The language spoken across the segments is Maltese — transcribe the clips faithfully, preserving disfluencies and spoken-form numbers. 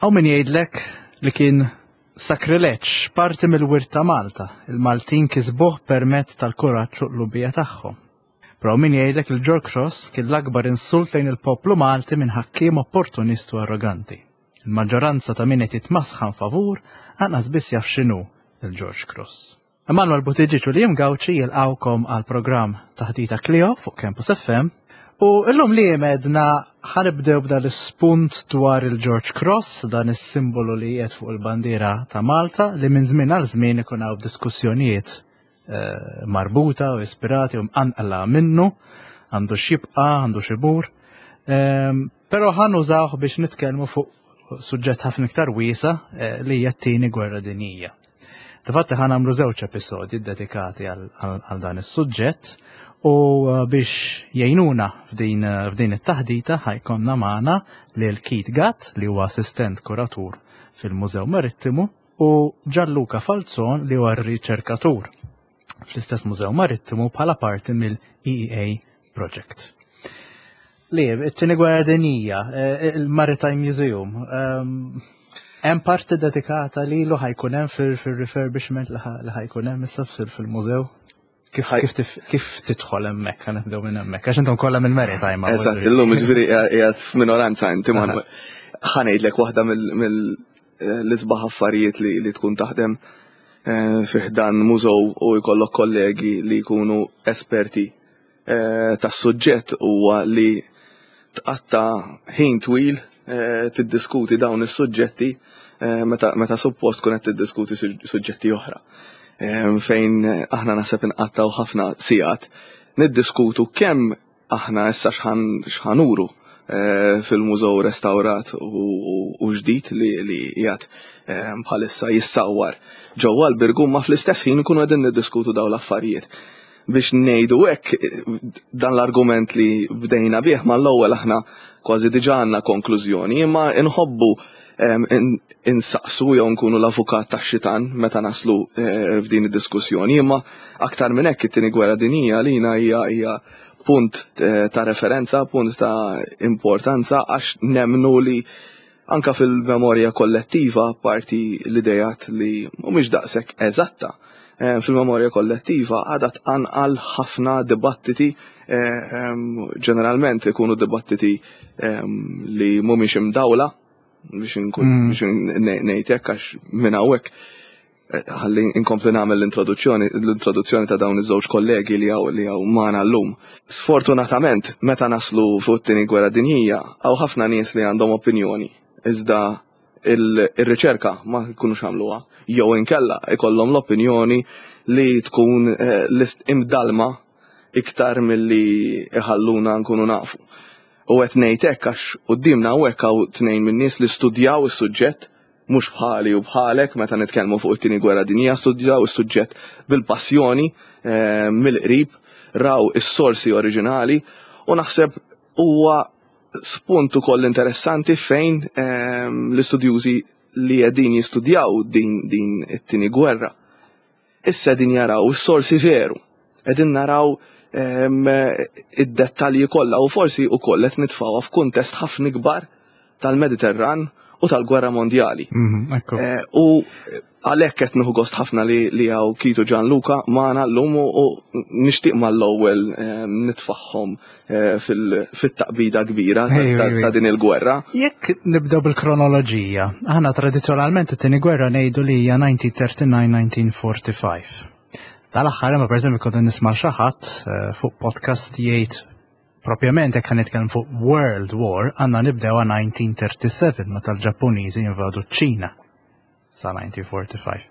Hawn min jgħidlek li kien sakrileġġ, parti mill-wirt ta' Malta, il-Maltin kisbuh permezz tal-kuraġġ u l-qlubija tagħhom. Però min jgħidlek il George Cross kien l-akbar insult lejn il-poplu Malti minn ħakkiem opportunist u arroganti. Il-maġġoranza ta' min qed jitmasħan favur anqas biss jaf x'inhu il-George Cross. Emanuel Buttigieg u Liam Gauci jilqawkom għal programm Taħdita Clio fuq Campus F M u illum li medna ħa nibdew b'dan l-ispunt dwar il-George Cross, dan is-simbolu li qiegħed fuq il-bandiera ta' Malta li minn żmien għal żmien ikun hawn diskussjonijiet eh, marbuta u ispirati u mqanqla minnu, għandu x'jibqa', għandu x'imur. Ehm, Però ħa nużawh biex nitkellmu fuq suġġett ħafna iktar wiesa' eh, li hija t-tieni gwerra dinjija. Infatti ħa nagħmlu żewġ episodji dedikati għal dan is-suġġett u eh, biex jgħinuna f'din eh, f'din it-taħdita ħa jkollna magħna lil Keith Gatt, li huwa assistent kuratur fil-Mużew Marittimu, u Gianluca Falzon, li huwa riċerkatur fl-istess Mużew Marittimu bħala parti mill-E E A Project. Li, it-tieni gwerra dinjija, eh, il-Maritime Museum, ehm, hemm parti dedikata lilu, ħa jkun hemm fil-refurbishment li ħa jkun hemm issa fil-mużew? Kif kif kif tidħol hemmhekk, ħa nibdew minn hemmhekk, għax intom kollha mill-maritime. Eżatt, illum ġifieri qiegħed f'minoranza inti ma ħa ngħidlek waħda mill-isbaħ affarijiet li tkun taħdem eh, fih dan mużew u jkollok kollegi li jkunu esperti eh, tas-suġġett huwa li tqatta ħin twil eh, tiddiskuti dawn is-suġġetti meta meta suppost tkun qed tiddiskuti suġġetti oħra. Fejn aħna naħseb inqattaw ħafna sigħat niddiskutu kemm aħna issa x'ħa nuru fil-mużew restawrat u ġdid li li qiegħed bħalissa jissawwar ġewwa l-Birgu, ma fl-istess ħin ikunu qegħdin niddiskutu dawn l-affarijiet. Biex ngħidu hekk, dan l-argument li bdejna bih mal-ewwel aħna kważi diġà għandna konklużjoni, imma inħobbu insaqsu jew nkunu l-avukat tax-xitan meta naslu eh, f'din id-diskussjoni, imma aktar minn hekk, it-tieni gwerra dinjija lina hija hija punt eh, ta' referenza, punt ta' importanza, għax nemnu li anka fil-memorja kollettiva, parti l-idejat li mhumiex daqshekk eżatta, eh, fil-memorja kollettiva għadha tqanqal ħafna dibattiti, ġeneralment ikunu dibattiti li mhumiex imdawla biex nkun mm. biex ngħid hekk, għax minn hawnhekk eh, ħalli inkompli nagħmel l-introduzzjoni l-introduzzjoni ta' dawn iż-żewġ kollegi li hawn li hawn magħna llum. Sfortunatament, meta naslu fuq it-tieni gwerra dinjija, hawn ħafna nies li għandhom opinjoni, iżda il-riċerka ma jkunux għamluha jew inkella ikollhom l-opinjoni li tkun eh, imdalma iktar milli iħalluna nkunu nafu. U qed ngħid hekk għax quddiemna hawnhekk hawn tnejn min-nies li studjaw is-suġġett, mhux bħali u bħalek meta nitkellmu fuq it-tieni gwerra dinjija, studjaw is-suġġett bil-passjoni, eh, mill-qrib, raw is-sorsi oriġinali, u naħseb huwa spunt ukoll interessanti fejn eh, l-istudjużi li qegħdin jistudjaw din din it-tieni gwerra issa din jaraw is-sorsi veru. Qegħdin naraw ehm, id-dettalji kollha u forsi wkoll qed nitfgħuha f'kuntest ħafna ikbar tal-Mediterran u tal-Gwerra Mondjali. Mhm, Ekku. Eh, U għalhekk qed nieħu gost ħafna li li hawn Keith u Gianluca magħna llum u u nixtieq mal-ewwel eh, nitfaħħom eh, fil- fit-taqbida kbira ta- Ejju, ta' ejju. ta' din il-gwerra. Jekk nibdew bil-kronoloġija, aħna tradizzjonalment it-tieni gwerra ngħidu li hija elf disa' mija u tlieta u tletin-elf disa' mija u erbgħa u ħamsin. Dal-aħħar imma, pereżempju, kont nisma' xi ħadd eh, fuq podcast jgħid propjament jekk nitkellem fuq World War għandna nibdew elf disa' mija u tlieta u tletin meta l-Ġappuniżi invadu ċ-Ċina sa elf disa' mija u erbgħa u ħamsin.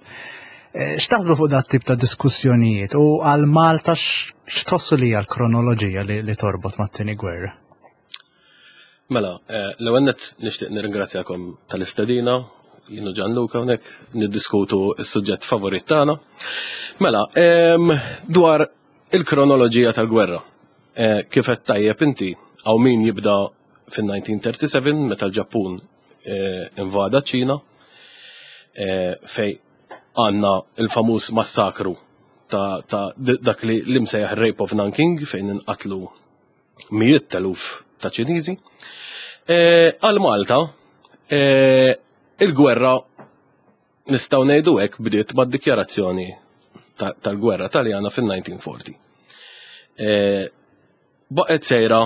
Eh, X'taħsbu fuq dat tip ta' diskussjonijiet u għal Malta x- x'tħossu li hija l-kronoloġija li, li torbot mat-tieni gwerra? Mela, eh, l-ewwel nett nixtieq nirringrazzjakom tal-istedina, jien u Gianluca hawnhekk niddiskutu s-suġġett favorit tagħna. Mela, em, dwar il-kronoloġija tal-gwerra. Eh, Kif qed tajjeb inti, hawn min jibda fin-elf disa' mija u tlieta u tletin meta l-Ġappun eh, invada ċ-Ċina, eh, fej għandna il-famuż massakru ta', ta' dak li l-imsejjaħ Rape of Nanking, fejn inqatlu mijiet teluf ta' Ċiniżi. Eh, Għal Malta, eh, Il-gwerra, nistgħu ngħidu hekk, bdiet mad-dikjarazzjoni tal-gwerra Taljana fil-elf disa' mija u erbgħa u erbgħin. Eh, baqgħet sejra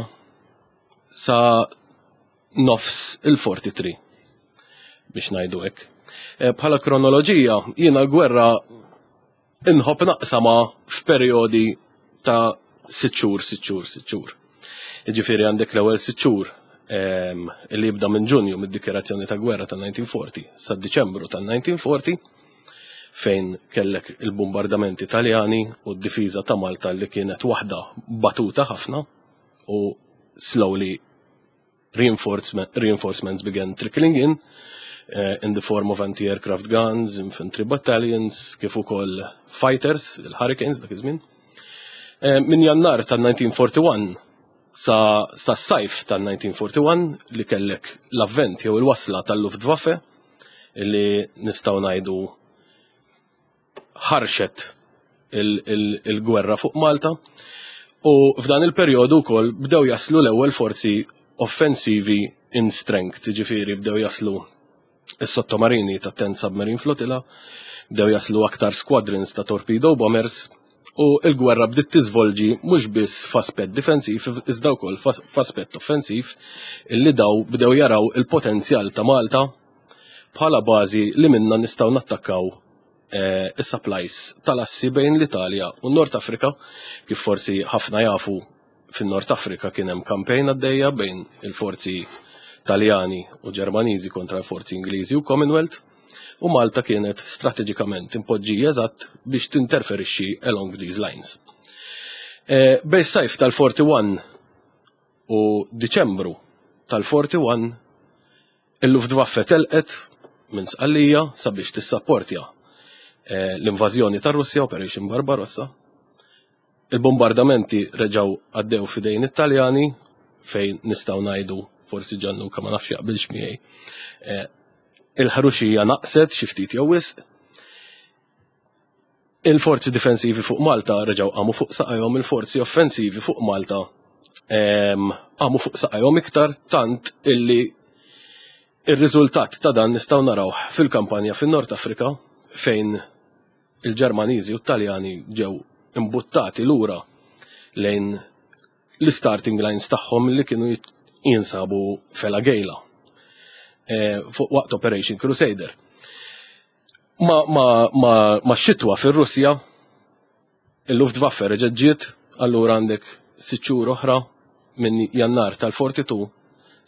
sa nofs il-tlieta u erbgħin, biex ngħidu hekk. Eh, bħala kronoloġija, jiena l-gwerra inħobb naqsama f'perjodi ta' sitt xhur, sitt xhur, sitt xhur. Jiġifieri għandek l-ewwel sitt xhur ehm, li jibda minn Ġunju, mid-dikjarazzjoni ta' gwerra ta' elf disa' mija u erbgħa u erbgħin sa' Diċembru ta' elf disa' mija u erbgħa u erbgħin, fejn kellek il-bombardamenti Taljani u d-difiża ta' Malta li kienet waħda batuta ħafna, u slowly reinforcement, reinforcements began trickling in uh, in the form of anti-aircraft guns, infantry battalions, kif ukoll fighters, il-Hurricanes dak iż-żmien. Uh, min Jannar tal-elf disa' mija u erbgħa u erbgħin sa, sa sajf tal-elf disa' mija u erbgħa u erbgħin, li kellek l-avvent jew il-wasla tal-Luftwaffe, li nistgħu ngħidu ħarxet il-gwerra fuq Malta, u f'dan il-perjodu wkoll bdew jaslu l-ewwel forzi offensivi in strength, ġifieri bdew jaslu is-sottomarini ta' Tenth Submarine Flotilla, bdew jaslu aktar squadrons ta' torpedo bombers, u il-gwerra bdiet tiżvolġi mhux biss f'aspett difensiv iżda wkoll f'aspett offensiv, illi daw bdew jaraw il-potenzjal ta' Malta bħala bażi li minna nistgħu nattakkaw eh, is-supplies tal-assi bejn l-Italja u n-Nord Afrika. Kif forsi ħafna jafu, fin-Nord Afrika kien hemm campaign għaddejja bejn il-forzi Taljani u Ġermaniżi kontra l-forzi Ingliżi u Commonwealth, u Malta kienet strateġikament impoġġija eżatt biex tinterferixxi along these lines. E, bejn sajf tal-erbgħa u erbgħin u Diċembru tal-erbgħa u erbgħin, il-Luftwaffe telqet minn Sqallija sabiex tissapportja eh, l-invażjoni tar-Russja, Operation Barbarossa. Il-bombardamenti reġaw għaddew fidejn it-Taljani, fejn nistgħu ngħidu, forsi Gianluca ma nafx jaqbilx miegħi, Eh, il-ħruxija naqset xi ftit jew wisq. Il-forzi difensivi fuq Malta reġgħu qamu fuq saqajhom, il-forzi offensivi fuq Malta ehm, qamu fuq saqajhom iktar, tant illi il-riżultat ta' dan nistgħu naraw fil-kampanja fin-Nord Afrika, fejn il-Ġermaniżi u t-Taljani ġew imbuttati lura lejn l-starting lines tagħhom li kienu jinsabu f'El Agheila eh, fuq waqt Operation Crusader. Ma, ma, ma, ma xitwa fir-Russja, il-Luftwaffe reġgħet ġiet, allura għandek sitt xhur oħra minn Jannar tal-erbgħa u erbgħin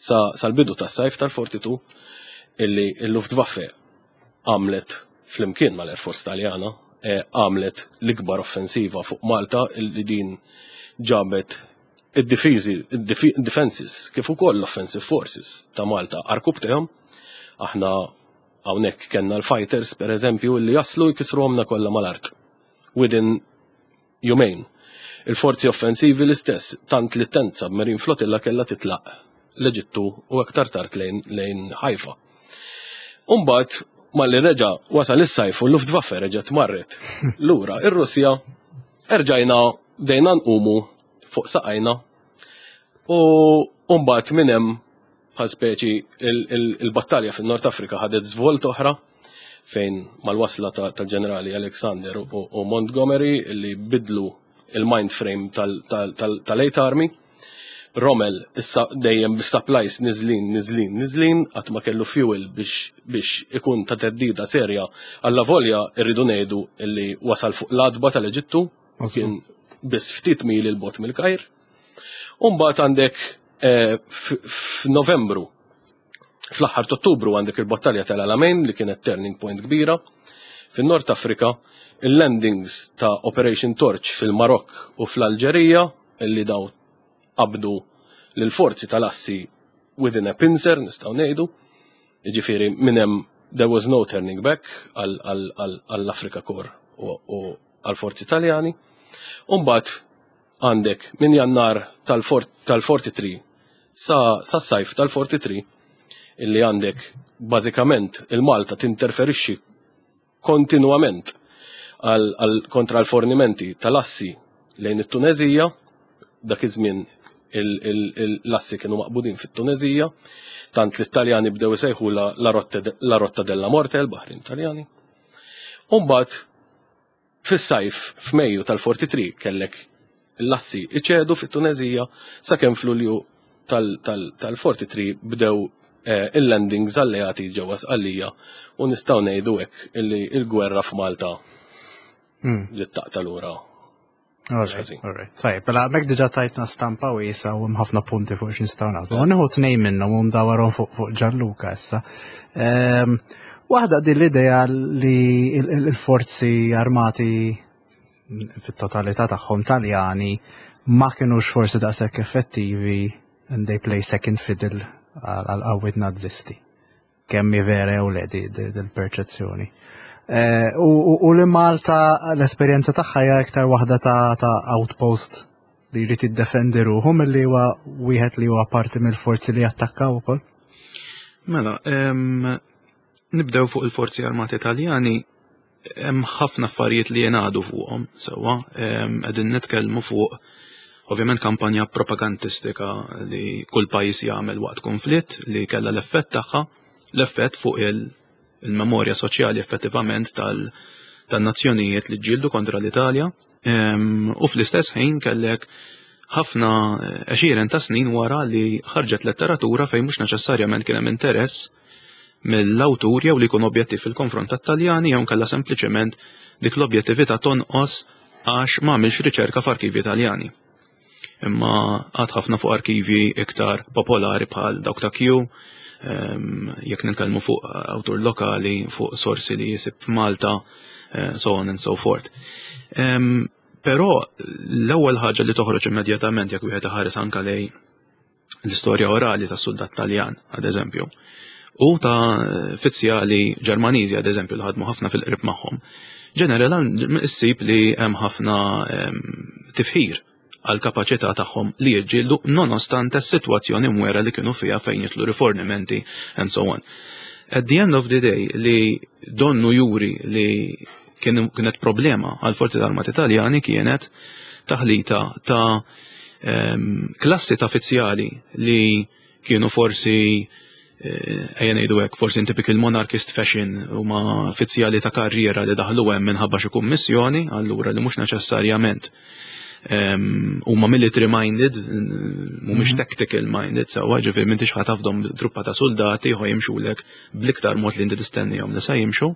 sa sal-bidu tas-sajf tal-erbgħa u erbgħin, illi il-Luftwaffe għamlet flimkien mal-Air Force Taljana eh, għamlet l-ikbar offensiva fuq Malta, illi din ġabet id-difiżi, id-defenses kif ukoll l-offensive forces ta' Malta għarkupptejhom. Aħna hawnhekk kellna l-fighters, per eżempju, li jaslu jkisruhomna kollha mal-art within jumejn. Il-forzi offensivi l-istess, tant li Tenth Submarine Flotilla kellha titlaq l-Eġittu u aktar tard lejn, lejn Haifa. Umbagħad, malli reġa wasal is-sajf u l-Luftwaffe reġgħet marret lura ir-Russja, erġajna bdejna nqumu fuq saqajna, u mbagħad minn hemm bħal speċi il-battalja fin-Nord Afrika ħadet żvolt oħra, fejn mal-wasla tal-ġenerali Alexander u Montgomery, li bidlu il-mind frame tal-Eighth Army. Rommel issa dejjem bis-supplies niżlin, niżlin, niżlin, qatt ma kellu fuel biex biex ikun ta' teddida serja, alla volja irridu ngħidu illi wasal fuq l-għatba tal-Eġittu, kien biss ftit mili 'l bogħod mill-Kajr. Umbagħad għandek eh, f'Novembru, fl-aħħar Ottubru, għandek il-battalja tal-Alamein, li kienet turning point kbira. Fin-Nord Afrika, il-landings ta' Operation Torch fil-Marok u fl-Alġerija, illi daw qabdu l-forzi tal-assi within a pincer, nistgħu ngħidu. Jiġifieri minn hemm there was no turning back għall-Afrika Corps u għall-forzi Taljani. Umbagħad għandek minn Jannar tal-tlieta u erbgħin sa, sa sajf tal-tlieta u erbgħin, illi għandek bażikament il-Malta tinterferixxi kontinuament għal kontra l-fornimenti tal-assi lejn it-Tunezija, dak iż-żmien L-assi kienu maqbudin fit-Tunezija, tant li t-Taljani bdew isejħu la rotta della morte, l-baħrin Taljani. Umbagħad fis-sajf, f'Mejju tal-tlieta u erbgħin, kellek l-assi iċedu fit-Tunezija, sakemm f'Lulju tal-tlieta u erbgħin bdew eh, il-landings alleati ġewwa Sqallija u nistgħu ngħidu hekk illi il-gwerra f'Malta hmm. li taqta' lura. Alright, tajjeb, mela mek diġà tajtna stampa wiesgħa u ħafna punti fuq x'nistgħu naħsbu. Nieħu tnejn minnhom u ndawarhom fuq fuq Gianluca issa. Ehm, waħda din l-idea li il-forzi armati fit-totalità tagħhom Taljani ma kienux forsi daqshekk effettivi and they play second fiddle għal qawwiet Nazisti. Kemm vera jew le dil-perċezzjoni? Eh, u li Malta l-esperjenza tagħha hija iktar waħda ta' outpost li jrid jiddefendi ruħu milli huwa wieħed li huwa parti mill-forzi li jattakkaw ukoll. Mela, nibdew fuq il-forzi armati Italjani. Hemm ħafna affarijiet li jingħadu fuqhom sewwa. Qegħdin nitkellmu fuq, ovvjament, kampanja propagandistika li kull pajjiż jagħmel waqt konflitt li kellha l-effett tagħha, l-effett fuq il- il-memorja soċjali effettivament tal-nazzjonijiet li ġġieldu kontra l-Italja. U fl-istess ħin kellek ħafna għexieren ta' snin wara li ħarġet letteratura fejn mhux neċessarjament kien hemm interess mill-awtur jew li jkun objettiv fil-konfront tat-Taljani jew kellha sempliċement dik l-objettività tonqos għax ma għamilx riċerka f'arkivi Italjani. Imma għad ħafna fuq arkivi iktar popolari bħal dawk ta' Q, jekk nitkellmu fuq awtur lokali, fuq sorsi li jisib f'Malta, eh, so on and so forth. Però l-ewwel ħaġa li toħroġ immedjatament jekk wieħed iħares anka lej l-istorja orali ta' soldat Taljan, ad eżempju, u ta' fizzjali Ġermaniżi, ad eżempju, li ħadmu ħafna fil-qrib magħhom. Ġeneralment issib li hemm ħafna tifħir għal kapaċità tagħhom li jiġġieldu nonostante s-sitwazzjoni mwera li kienu fiha fejn jitlu rifornimenti and so on. At the end of the day, li donnu juri li kienet problema għal forzi armati Italjani kienet taħlita ta' um, klassi ta' fizzjali li kienu forsi, eh, ejja ngħidu hekk, forsi in typical monarchist fashion, huma fizzjali ta' karriera li daħlu hemm minħabba xi kummissjoni, allura li mhux neċessarjament huma military minded, mhumiex mhm. tactical minded, sewwa, ġifieri m'intix ħa tafdahom truppa ta' soldati ħo jimxulek bl-iktar mod li inti tistennihom li sa jimxu.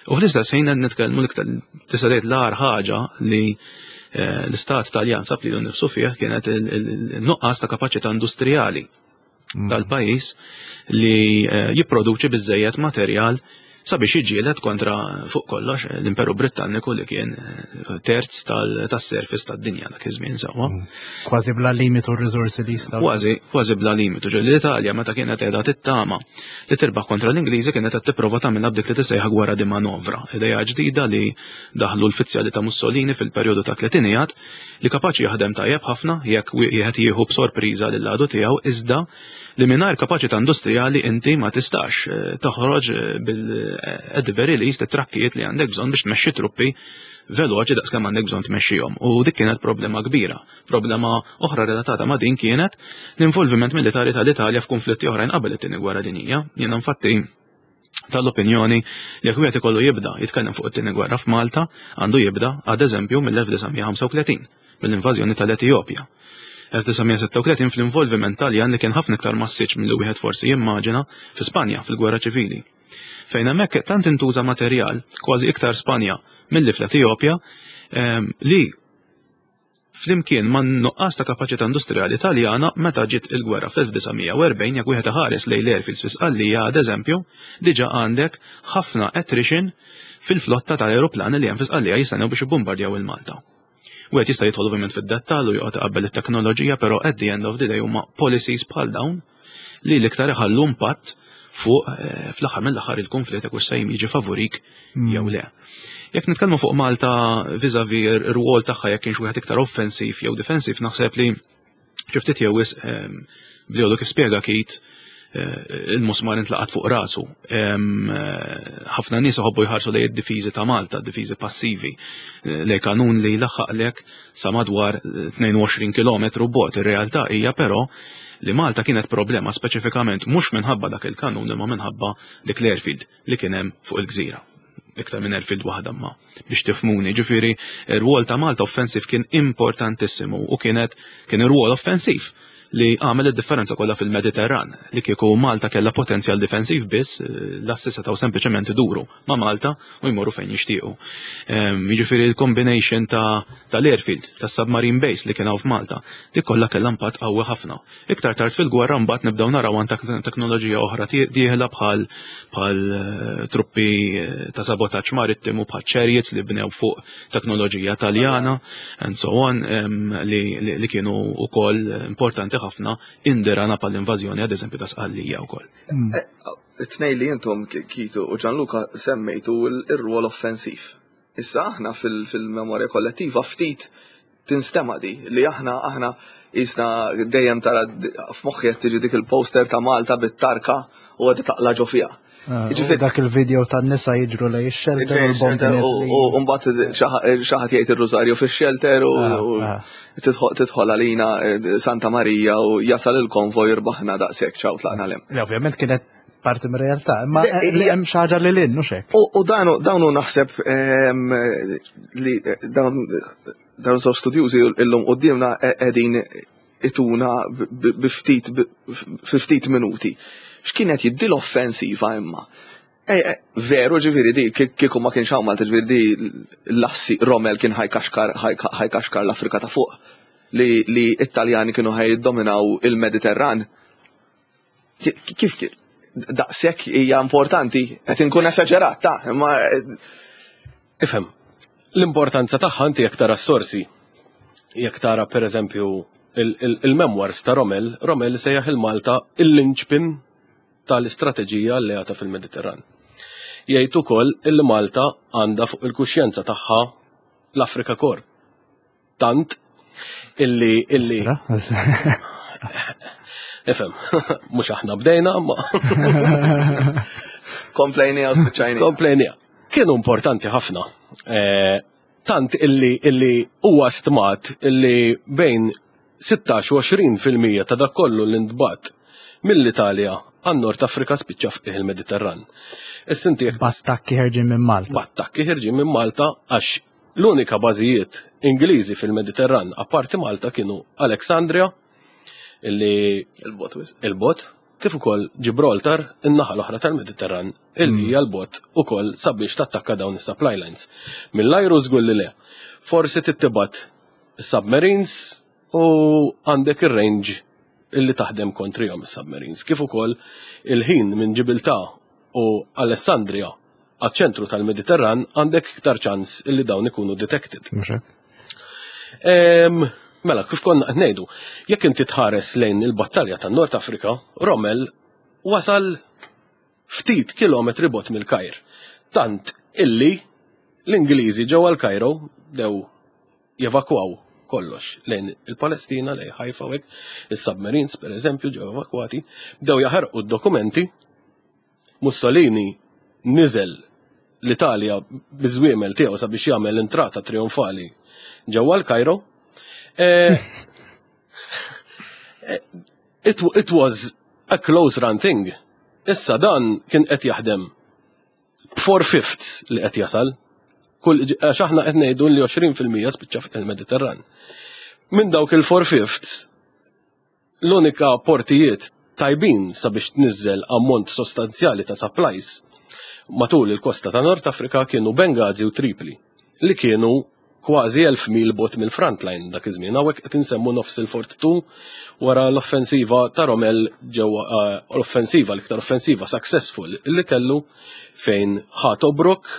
U fl-istess ħin qed nitkellmu l-iktar, tista' tgħid, l-agħar ħaġa li eh, l-istat Taljan sab li nifsu fih kienet il-nuqqas ta' kapaċità industrijali mm. tal-pajjiż li eh, jipproduċi biżejjed materjal sabiex jiġġieled kontra, fuq kollox, l-Imperu Britanniku li kien eh, terz tas-surface tad-dinja dak iż-żmien, sewwa. Mm. Kważi bla limitu r-riżorsi li jistgħu. Kważi, kważi bla limitu. Ġo l-Italja meta kienet qiegħda tittama li tirbaħ kontra l-Ingliżi kienet qed tipprova tagħmilha b'dik li tisejħa gwerra di manovra. Ideja ġdida li daħlu l-fizzjali ta' Mussolini fil-perjodu ta' tletinijat li kapaċi jaħdem tajjeb ħafna jekk wieħed jieħu b'sorpriża lil għadu tiegħu, iżda li mingħajr kapaċità industrijali inti ma tistax eh, toħroġ eh, bil at the very least it-trakkijiet li għandek bżonn biex tmexxi truppi veloċi daqs kemm għandek bżonn tmexxihom. U dik kienet problema kbira. Problema oħra relatata ma' din kienet l-involviment militari tal-Italja f'konflitti oħrajn qabel it-Tieni Gwerra Dinjija. Jiena infatti tal-opinjoni li jekk wieħed ikollu jibda jitkellem fuq it-Tieni Gwerra f'Malta, għandu jibda, ad eżempju, mill-elf disa' mija u ħamsa u tletin, mill-invażjoni tal-Etjopja. elf disa' mija u sitta u tletin, fl-involviment Taljan li kien ħafna iktar massiċ milli wieħed forsi jimmaġina fi Spanja fil-Gwerra Ċivili. Fejn hemmhekk tant intuża materjal, kważi iktar Spanja milli fl-Etjopja, ehm, li flimkien ma' nuqqas ta' kapaċità industrijali Taljana, meta ġiet il-gwerra fl-elf disa' mija u erbgħin, jekk wieħed iħares lejn l-airfields fi Sqallija, ad eżempju, diġà għandek ħafna attrition fil-flotta tal-aeroplani li hemm fi Sqallija jistennew biex ibbombardjaw il-Malta. Wieħed jista' jidħol ovvjament fid-dettall u joqgħod iqabbel it-teknoloġija, però at the end of the day huma policies bħal dawn li l-iktar iħallu impatt fuq eh, fl-aħħar mill-aħħar il-konflitt jekk se jiġi favorik mm. jew le. Jekk nitkellmu fuq Malta vis-a-vis ir-rwol tagħha, jekk kienx wieħed iktar offensiv jew difensiv, naħseb li xi ftit jew wisq ehm, bli kif spjega Kit eh, il-musmar intlaqat fuq rasu. Em, eh, Ħafna nies iħobbu jħarsu lejn id-difiżi ta' Malta, difiżi passivi, eh, lejn kanun li jlaħħaqlek sa madwar eh, tnejn u għoxrin kilometru bogħod. Ir-realtà hija però li Malta kienet problema speċifikament mhux minħabba dak il-kanun, imma minħabba dik l-airfield li kien hemm fuq il-gżira. Iktar minn airfield waħda, ma biex tifhmuni, ġifieri ir-rwol ta' Malta offensiv kien importantissimu u kienet kien ir-rwol offensiv li għamel id-differenza kollha fil-Mediterran. Li kieku Malta kellha potenzjal difensiv biss, eh, l-assi setgħu sempliċement iduru ma' Malta u jmorru fejn jixtiequ. Ehm, Jiġifieri l-combination ta' tal-airfield, ta' submarine base li kien hawn f'Malta, dik kollha kellha impatt qawwi ħafna. Iktar tard fil-gwerra mbagħad nibdew naraw an teknoloġija oħra dieħla bħal bħal eh, truppi eh, ta' sabotaġġ marittimu, bħal chariots li bnew fuq teknoloġija Taljana and so on, em, li, li, li kienu wkoll importanti ħafna indirana pal-invażjoni, ad eżempju, ta' Sqallija wkoll. It-tnejn li intom, Kitu u Gianluca, semmejtu il-rwol offensiv. Issa aħna fil-memorja kollettiva ftit tinstema di li aħna aħna jisna dejjem tara f'moħħi qed tiġi dik il-poster ta' Malta bit-tarka u għadha taqla ġo fiha. Ah, u dak il-video tan-nisa jiġru lejn ix-shelter u l-bombi neżlin. U mbagħad xi ħadd jgħid ir-rużarju fix-shelter u Ah, u ah. tidħol tidħol għalina eh, Santa Marija u jasal il-konvoj, jirbaħna, daqshekk, ċaw, tlaqna lem. Li ovvjament kienet parti mir-realtà, imma Le, eh, li hija- hemm xi ħaġa li lin, mhux hekk. U u danu dawnu naħseb ehm, li eh, dawn dawn żewġ studjużi illum qudiemna qegħdin ituna bi ftit fi ftit minuti. X'kienet jiddi l-offensiva imma? Eh, eh, veru ġifieri di kieku ma kienx hawn Malta, ġifieri di l-assi Rommel kien ħajkaxkar ħajkaxkar l-Afrika ta' fuq, li li Italjani kienu ħajdominaw il-Mediterran. Kif kien? Daqshekk hija importanti, qed inkun esaġerat ta' imma Ifhem, l-importanza tagħha inti jekk tara s-sorsi, jekk tara per eżempju il-memoirs ta' Rommel, Rommel sejjaħ il-Malta il-linchpin tal-istrateġija alleata fil-Mediterran. Jgħid ukoll il Malta għandha fuq il-kuxjenza tagħha l-Afrika Corps. Tant illi illi Ifhem, mhux aħna bdejna, ma Komplejnija u spiċċajnija. Komplejnija. Kienu importanti ħafna. Eh, tant illi illi huwa stmat illi bejn sittax u għoxrin fil-mija ta' dak kollu li ntbagħat mill-Italja għan-Nord Afrika spiċċa fih il-Mediterran. Issa inti B'attakki ħerġin minn Malta. B'attakki ħerġin minn Malta, għax l-unika bażijiet Ingliżi fil-Mediterran apparti Malta kienu Alexandria, illi Il-bogħod. Il-bogħod, kif ukoll Gibraltar, in-naħa l-oħra tal-Mediterran, illi hija l-bogħod ukoll sabiex tattakka dawn is-supply lines. Mill-ajru żgur li le. Forsi tibgħat submarines u għandek ir-range illi taħdem kontrihom is-submarines. Kif ukoll il-ħin minn Ġibiltà u Alessandria għaċ-ċentru tal-Mediterran, għandek iktar ċans illi dawn ikunu detected. Mhux hekk? Mela, kif konna qed ngħidu, jekk inti tħares lejn il-battalja tan-Nord Afrika, Rommel wasal ftit kilometri bogħod mill-Kajr. Tant illi l-Ingliżi ġewwa l-Kajro dew jevakwaw kollox lejn il-Palestina, lejn Haifa u hekk, is-submarines per eżempju ġew evakwati, bdew jaħarqu d-dokumenti. Mussolini niżel l-Italja biż-żwiemel tiegħu sabiex jagħmel entrata trionfali ġewwa l-Kajro. Eh, eh, it, it was a close run thing. Issa dan kien qed jaħdem four fifths li qed jasal. Kull għax aħna qed ngħidu li għoxrin fil-mija spiċċa fuq il-Mediterran. Minn dawk il-four fifths, l-unika portijiet tajbin sabiex tniżel ammont sostanzjali ta' supplies matul il-kosta ta' Nord Afrika kienu Benghazi u Tripli, li kienu kważi elf mil bogħod mill-frontline dak iż-żmien. Hawnhekk qed insemmu nofs il-forty-two, wara l-offensiva ta' Rommel ġewwa eh, l-offensiva, l-iktar offensiva successful li kellu, fejn ħa Tobruk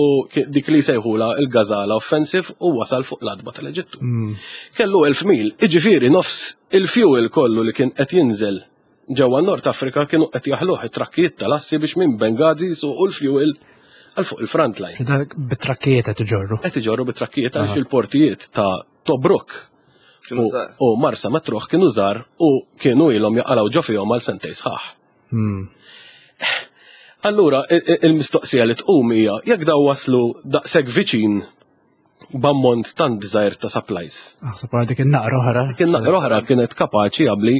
u ki- dik li sejħula il-Gazala Offensive u wasal fuq l-għatba tal-Eġittu. Kellu elf mil, iġifieri nofs il-fuel kollu li kien qed jinżel ġewwa Nord Afrika kienu qed jaħluh it-trakkijiet tal-assi biex minn Benghazi jsuqu l-fuel għal fuq il-frontline. Bit-trakkijiet qed iġorru. Qed iġorru bit-trakkijiet għaliex il-portijiet ta' Tobruk Kienu u, żgħar. u Marsa Matruh kienu żgħar u kienu ilhom jaqalgħu ġo fihom għal sentejn sħaħ. Hmm. Allura, il-mistoqsija li tqum hija jekk daw waslu daqshekk viċin b'ammont tant żgħir ta' supplies. Aħseb wara dik in-naqra oħra. Dik in-naqra oħra kienet kapaċi għabli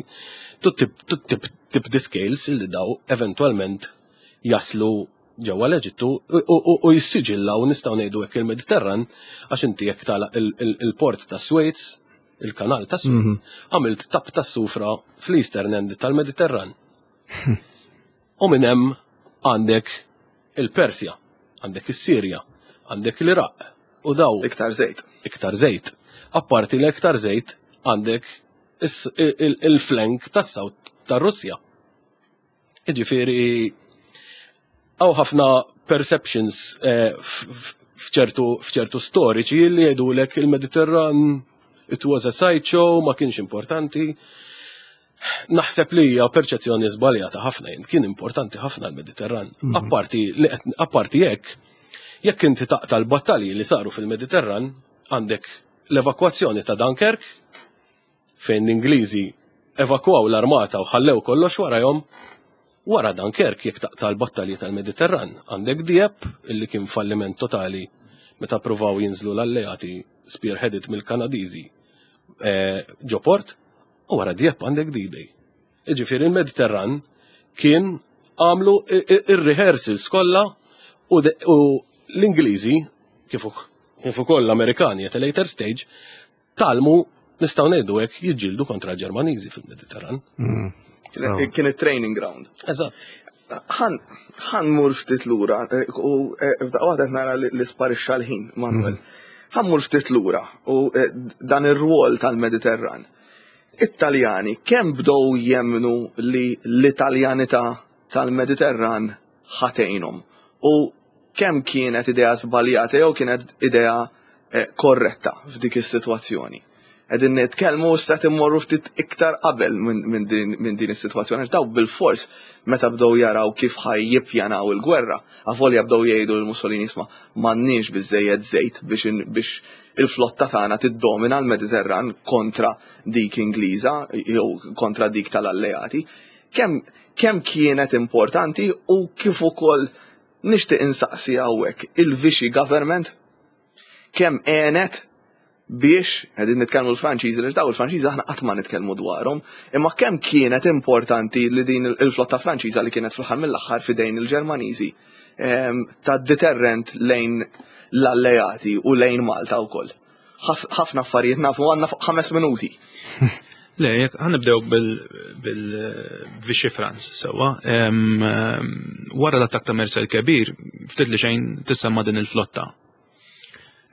to tip, to tip, tip the scales illi daw eventualment jaslu ġewwa l-Eġittu u jissiġillaw, nistgħu ngħidu hekk, il-Mediterran, għax inti jekk tagħlaq il-port ta' Suez, il-kanal ta' Suez, mhm. għamilt tap ta' sufra fl-Eastern End tal-Mediterran. U minn hemm għandek il-Persja, għandek is-Sirja, għandek l-Iraq u daw. Iktar żejt. Iktar żejt. Apparti l-iktar żejt, għandek il-flank tas-South tar-Russja. Iġifieri hawn ħafna perceptions eh, f'ċertu f'ċertu storiċi li jgħidulek il-Mediterran it was a sideshow, ma kienx importanti. Naħseb li hija perċezzjoni żbaljata ħafna, jien kien importanti ħafna l-Mediterran. Mhm. Apparti li apparti jekk jekk inti taqta' l-battalji li saru fil-Mediterran, għandek l-evakwazzjoni ta' Dunkirk, fejn l-Ingliżi evakwaw l-armata u ħallew kollox warajhom. Wara Dunkirk, jekk taqta' l-battalji tal-Mediterran, għandek Dieppe, illi kien falliment totali meta provaw jinżlu l-alleati spearheaded mill-Kanadiżi eh, ġo port, u wara Dieppe għandek D-Day. Iġifieri il-Mediterran kien għamlu ir-rehearsals kollha u l-Ingliżi kif kif ukoll l-Amerikani at a later stage tgħallmu, nistgħu ngħidu hekk, jiġġieldu kontra l-Ġermaniżi fil-Mediterran. Mm. Kien it-training ground. Eżatt. Ħa mmur ftit lura, eh, u eh, f'daqqa waħda nara li sparixxa l-ħin, Manuel. Mm. Ħa mmur ftit lura u eh, dan ir-rwol tal-Mediterran. It-Taljani kemm bdew jemnu li l-Italjanità tal-Mediterran ħa tgħinhom u kemm kienet idea żbaljata jew kienet idea korretta f'dik is-sitwazzjoni? Qegħdin nitkellmu issa immorru ftit iktar qabel minn din is-sitwazzjoni. Daw bil-fors meta bdew jaraw kif ħa jippjanaw il-gwerra, avolja bdew jgħidu lil Mussolini, "Isma', m'għandniex biżejjed żejt biex il-flotta tagħna tiddomina l-Mediterran kontra dik Ingliża jew kontra dik tal-alleati." Kemm kemm kienet importanti u kif ukoll nixtieq insaqsi hawnhekk il-Vichy government kemm għenet biex, qegħdin nitkellmu l-Franċiżi li daw il-Franċiżi aħna qatt ma nitkellmu dwarhom, imma kemm kienet importanti li din il-flotta Franċiża li kienet fl-aħħar mill-aħħar fidejn il-Ġermaniżi ta' deterrent lejn l-alleati u lejn Malta wkoll? Ħafna affarijiet nafu, għandna ħames minuti. Le, jekk ħa nibdew bil-Vichy France, sewa. Wara l-attak ta' Mersa l-Kebir, ftit li xejn tissemma din il-flotta.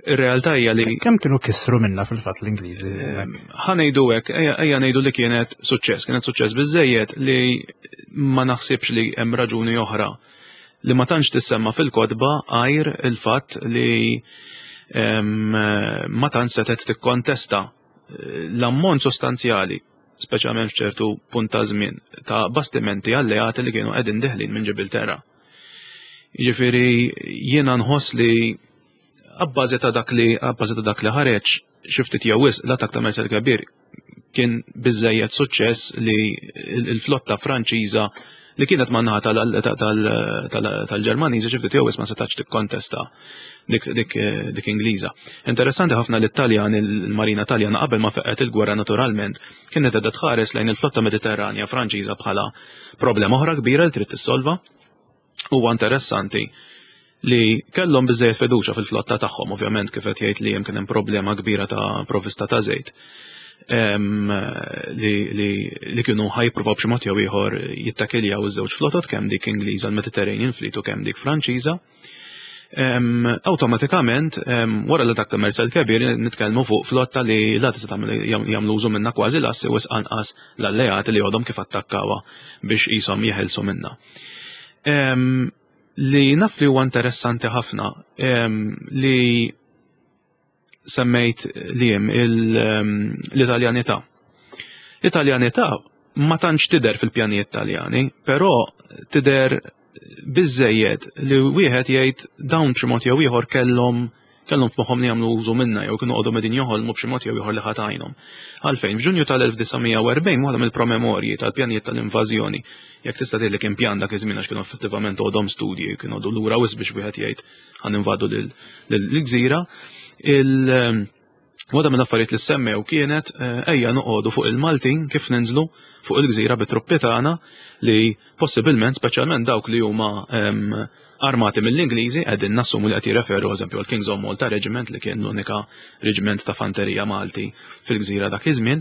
Ir-realtà hija li Kemm kienu kisru minna fil-fatt l-Ingliżi? Ħa ngħidu hekk, ejja ngħidu li kienet suċċess, kienet suċċess biżejjed li ma naħsibx li hemm raġuni oħra li ma tantx tissemma fil-kotba għajr il-fatt li ma tantx setet tikkontesta l-ammont sostanzjali, speċjalment f'ċertu punt ta' żmien, ta' bastimenti alleati li kienu qegħdin deħlin minn Ġibilterra. Jiġifieri jiena nħoss li abbażi ta' dak li abbażi ta' dak li ħareġ xi ftit jew wisq, l-attak ta' Mersa l-Kebir kien biżejjed suċċess li l-flotta Franċiża li kienet man-naħa tal-Ġermaniżi xi ftit jew wisq ma setax tikkontesta dik, dik, dik Ingliża. Interessanti ħafna li t-Taljan, il-Marina Taljana, qabel ma feqqet il-gwerra naturalment, kienet qiegħda tħares lejn il-flotta Mediterranja Franċiża bħala problema oħra kbira li trid tissolva. Huwa interessanti li kellhom biżejjed fiduċa fil-flotta tagħhom, ovvjament kif qed jgħid li hemm kien hemm problema kbira ta' provvista ta' żejt. Li, li, li kienu ħa jippruvaw b'xi mod jew ieħor jittakiljaw iż-żewġ flotot, kemm dik Ingliża, l-Mediterranean Fleet, u kemm dik Franċiża. Awtomatikament, wara l-attak ta' Mersa l-Kebir, nitkellmu fuq flotta li la tista' tagħmel jagħmlu użu minna kważi l-assi, wisq anqas l-alleati li għodhom kif attakkawha biex qishom jeħilsu minna. Li naf li huwa interessanti ħafna li semmejt li hemm l-Italjanità. L-Italjanità ma tantx tidher fil-pjanijiet Taljani, però tidher biżejjed li wieħed jgħid dawn b'xi mod jew ieħor kellhom Kellhom f'moħħhom li jagħmlu użu minna jew kienu għodhom qegħdin joħolmu b'xi mod jew ieħor li ħa tgħinhom. Għalfejn, f'Ġunju tal-elf disa' mija u erbgħin, waħda mill-promemorji tal-pjanijiet tal-invażjoni, jekk tista' tgħid li kien pjan dak iż-żmien, għax kienu effettivament għodhom studji, kienu għodu lura wisq biex wieħed jgħid ħa ninvadu lill-gżira, il- Waħda minn affarijiet li semmew kienet eh, ejja noqogħdu fuq il-Maltin kif ninżlu fuq il-gżira bit-truppi tagħna li possibilment, speċjalment dawk li huma em, armati mill-Ingliżi, qegħdin nassumu li qed jirreferu eżempju għal Kings of Malta Regiment, li kien l-unika reġiment ta' fanterija Malti fil-gżira dak iż-żmien,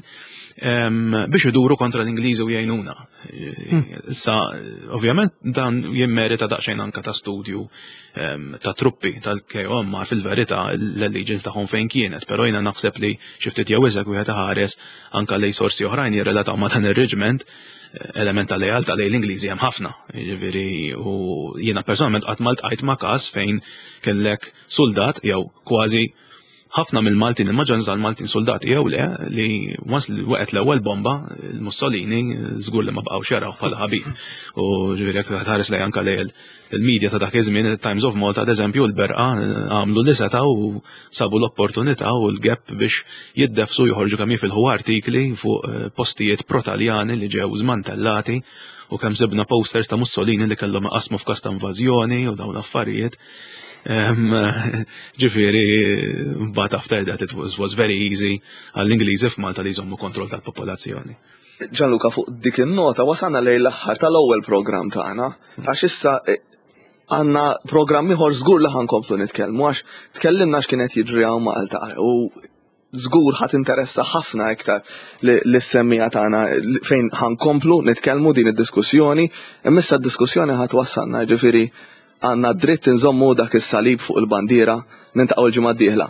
em, biex iduru kontra l-Ingliżi u jgħinuna. Issa, ovvjament dan jimmerita daqsxejn anka ta' studju em, ta' truppi tal-K O M fil-verità l-allegiance tagħhom fejn kienet, però jiena naħseb li xi ftit jew iżjed wieħed iħares anka lej sorsi oħrajn jirrelataw ma' dan ir-reġiment, element ta' lealtà lejn l-Ingliżi hemm ħafna. Jiġifieri, u jiena personalment qatt ma ltqajt ma' każ fejn kellek soldat jew kważi ħafna mill-Maltin, il-maġġoranza tal-Maltin, soldati jew le, li once li waqgħet l-ewwel bomba, il-Mussolini żgur li ma bqgħux jaraw bħala ħabib. U ġifieri jekk tħares lej anka lej il-media ta' dak iż-żmien, il-Times of Malta, ad eżempju, l-Berqa għamlu li setgħu u sabu l-opportunità u l-gap biex jiddefsu, joħorġu kemm jifilħu artikli fuq eh, postijiet pro-Taljani li ġew żmantellati u kemm sibna posters ta' Mussolini li kellhom iqasmu f'każ ta' invażjoni u dawn l-affarijiet. Em, Ġifieri, but after that it was, was very easy għall-Ingliżi f'Malta li jżommu kontroll tal-popolazzjoni. Gianluca, fuq dik in-nota wasalna lejn l-aħħar tal-ewwel programm tagħna, għax issa eh, għandna programm ieħor żgur li ħa nkomplu nitkellmu, għax tkellimna x'kienet jiġri hawn Malta u żgur ħa tinteressa ħafna iktar lis-semmiegħa tagħna fejn ħa nkomplu nitkellmu din id-diskussjoni, imma issa d-diskussjoni ħa twassalna, ġifieri għandna dritt nżommu dak is-salib fuq il-bandiera. Niltaqgħu l-ġimgħa d-dieħla.